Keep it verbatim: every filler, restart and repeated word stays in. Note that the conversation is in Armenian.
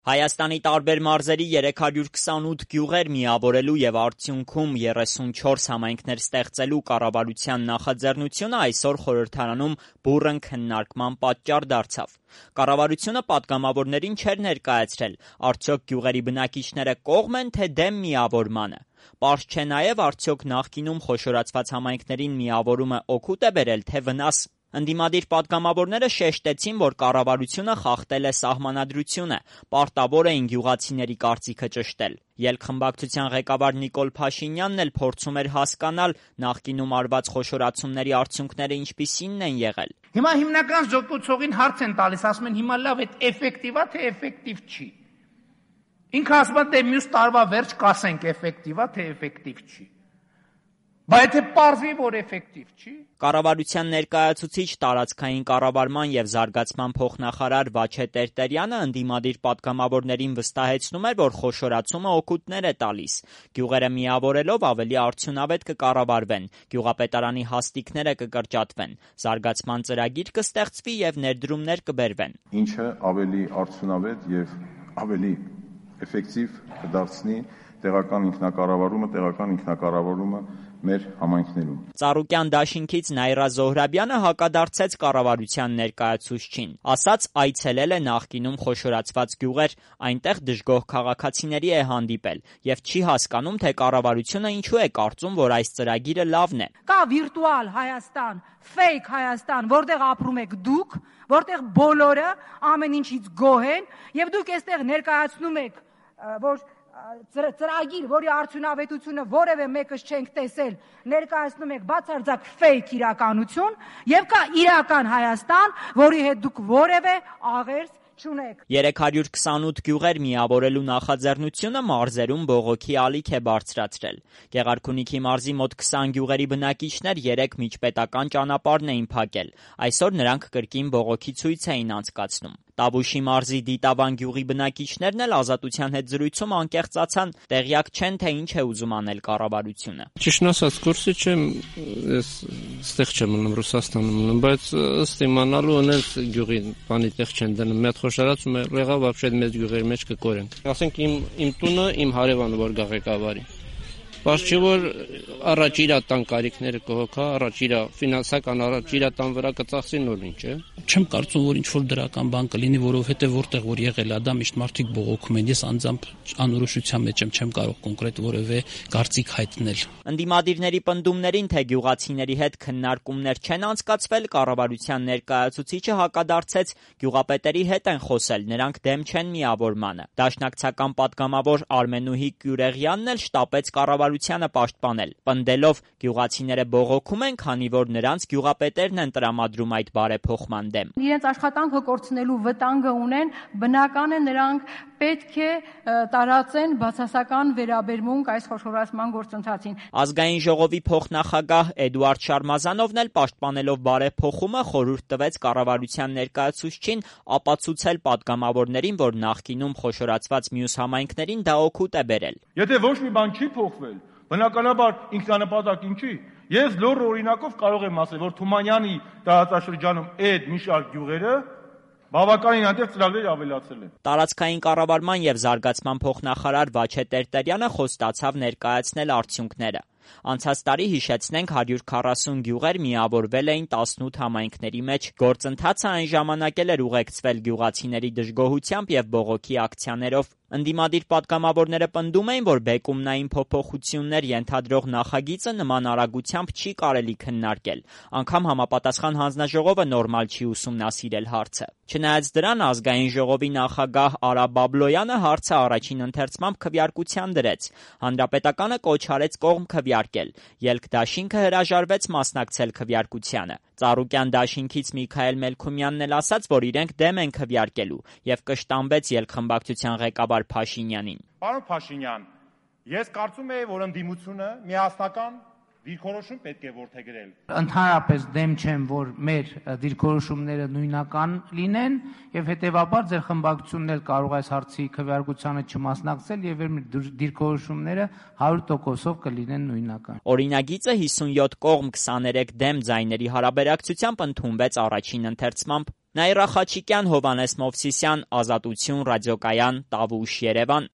Հայաստանի տարբեր մարզերի երեք հարյուր քսանութ գյուղեր միավորելու և արդյունքում երեսունչորս համայնքներ ստեղծելու կառավարության նախաձեռնությունը այսօր խորհրդարանում բուռն քննարկման պատճառ դարձավ։ Կառավարությունը պատգամավորներին չէր ներկայացրել, արդյոք գյուղերի բնակիչները կողմ են, թե դեմ միավորմանը։ Պարզ չէ նաև, արդյոք նախկինում խոշորացված համայնքներին միավորումը օգուտ է բերել, թե վնաս։ Ընդդիմադիր պատգամավորները շեշտեցին, որ կառավարությունը խախտել է սահմանադրությունը, պարտավոր էին գյուղացիների կարծիքը ճշտել։ Ելք-խմբակցության ղեկավար Նիկոլ Փաշինյանն էլ փորձում էր հասկանալ նախկինում արված խոշորացումների արդյունքները ինչպիսինն են եղել։ Հիմա հիմնական զոկուցողին հարց են տալիս, ասում են հիմա լավ, այդ էֆեկտիվ է, թե էֆեկտիվ չի։ Ինքը ասում է, թե մյուս տարվա վերջ կասենք էֆեկտիվ է, թե էֆեկտիվ չի։ Բայց եթե պարզվի, որ էֆեկտիվ չի։ Կառավարության ներկայացուցիչ տարածքային կառավարման և զարգացման փոխնախարար Վաչե Տերտերյանը ընդդիմադիր պատգամավորներին վստահեցնում էր, որ խոշորացումը օգուտներ է տալիս։ Գյուղերը միավորելով ավելի արդյունավետ կկառավարվեն, գյուղապետարանի հաստիքները կկրճատվեն, զարգացման ծրագիր կստեղծվի և ներդրումներ կբերվեն։ Ինչը ավելի արդյունավետ և ավելի էֆեկտիվ կդարձնի տեղական ինքնակառավարումը, տեղական ինքնակառավարումը մեր համայնքներում։ Ծառուկյան դաշինքից Նայրա Զոհրաբյանը հակադարձեց կառավարության ներկայացուցչին, ասաց այցելել է նախկինում խոշորացված գյուղեր, այնտեղ դժգոհ քաղաքացիների է հանդիպել և չի հասկանում, թե կառավարությունը ինչու է կարծում, որ այս ծրագիրը լավն է։ Կա վիրտուալ Հայաստան, ֆեյք Հայաստան, որտեղ ապրում եք դուք, որտեղ բոլորը ամեն ինչից գոհ են, եւ դուք այստեղ ներկայացնում եք, որ ծրագիր, որի արդյունավետությունը որևէ մեկս չենք տեսել, ներկայացնում եք բացարձակ ֆեյք իրականություն, եւ կա իրական Հայաստան, որի հետ դուք որևէ աղերս չունեք։ երեք հարյուր քսանութ գյուղեր միավորելու նախաձեռնությունը մարզերում բողոքի ալիք է բարձրացրել։ Գեղարքունիքի մարզի մոտ քսան գյուղերի բնակիչներ երեկ միջպետական ճանապարհն էին փակել։ Այսօր նրանք կրկին բողոքի ցույց էին անցկացնում։ Տավուշի մարզի Դիտավան գյուղի բնակիչներն էլ Ազատության հետ զրույցում անկեղծացան, տեղյակ չեն, թե ինչ է ուզում անել կառավարությունը։ Ճիշտն ասած, կուրսի չեմ, ես ստեղ չեմ մնում, Ռուսաստանում մնում, բայց ըստ իմանալու ունես գյուղի բանի տեղ չեն դնում։ Մի հատ խոշորացում է, եղավ вообще մեծ գյուղերի մեջ կկորենք։ Ասենք իմ իմ տունը, իմ հարևանը որ գա ղեկավարի։ Բայց չէ որ առաջ իրա տան կարիքները կհոգա, առաջ իրա ֆինանսական առաջ իրա տան վրա կծախսի նոր ինչ է։ Չեմ կարծում, որ ինչ-որ դրական բան կլինի, որովհետև որտեղ որ եղել է դա միշտ մարդիկ բողոքում են։ Ես անձամբ անորոշության մեջ եմ, չեմ կարող կոնկրետ որևէ կարծիք հայտնել։ Ընդդիմադիրների պնդումներին, թե գյուղացիների հետ քննարկումներ չեն անցկացվել, կառավարության ներկայացուցիչը հակադարձեց, գյուղապետերի հետ են խոսել, նրանք դեմ չեն միավորմանը։ Դաշնակցական պատգամավոր Արմենուհի Կյուրեղյանն էլ շտապեց կառավարությանը պաշտպանել, պնդելով գյուղացիները բողոքում են, քանի որ նրանց գյուղապետերն են տրամադրում այդ բարեփոխման դեմ։ Իրենց աշխատանքը կորցնելու վտանգը ունեն, բնական է նրանք պետք է տարածեն բացասական վերաբերմունք այս խոշորացման գործընթացին։ Ազգային ժողովի փոխնախագահ Էդուարդ Շարմազանովն էլ պաշտպանելով բարեփոխումը խորհուրդ տվեց կառավարության ներկայացուցչին ապացուցել պատգամավորներին, որ նախկինում խոշորացված մյուս համայնքներին դա օգուտ է բերել։ Եթե ոչ մի բան չի փոխվել, բնականաբար ինքնանպատակ ինչի։ Ես լոռ օրինակով կարող եմ ասել, որ Թումանյանի տարածաշրջանում այդ մի շարք գյուղերը բավականին այնտեղ ծրագրեր ավելացել են։ Տարածքային կառավարման և զարգացման փոխնախարար Վաչե Տերտերյանը խոստացավ ներկայացնել արդյունքները։ Անցած տարի, հիշեցնենք, հարյուր քառասուն գյուղեր միավորվել էին տասնութ համայնքների մեջ։ Գործընթացը այն ժամանակ էլ էր ուղեկցվել գյուղացիների դժգոհությամբ և բողոքի ակցիաներով։ Ընդդիմադիր պատգամավորները պնդում էին, որ բեկումնային փոփոխություններ ենթադրող նախագիծը նման արագությամբ չի կարելի քննարկել։ Անգամ համապատասխան հանձնաժողովը նորմալ չի ուսումնասիրել հարցը։ Չնայած դրան, ազգային ժողովի նախագահ Արա Բաբլոյանը հարցը առաջին ընթերցմամբ քվեարկության դրեց։ Հանրապետականը կոչ արեց կողմ քվեարկել։ Ելք-դաշինքը հրաժարվեց մասնակցել քվեարկությանը։ Ծառուկյան դաշինքից Միքայել Մելքումյանն էլ ասաց, որ իրենք դեմ են քվեարկելու և կշտամբեց ելք-խմբակցության ղեկավար Փաշինյանին։ Պարոն Փաշինյան, ես կարծում եմ, որ ընդդիմությունը միասնական դիրքորոշում պետք է որդեգրել։ Ընդհանրապես դեմ չեմ, որ մեր դիրքորոշումները նույնական լինեն եւ հետեւաբար ձեր խմբակցությունն էլ կարող է այս հարցի քվեարկությանը չմասնակցել եւ մեր դիրքորոշումները հարյուր տոկոսով կլինեն նույնական։ Օրինագիծը հիսունյոթ կողմ քսաներեք դեմ ձայների հարաբերակցությամբ ընդունվեց առաջին ընթերցմամբ։ Նաիրա Խաչիկյան, Հովհաննես Մովսիսյան, Ազատություն, Ռադիոկայան, Տավուշ, Երևան։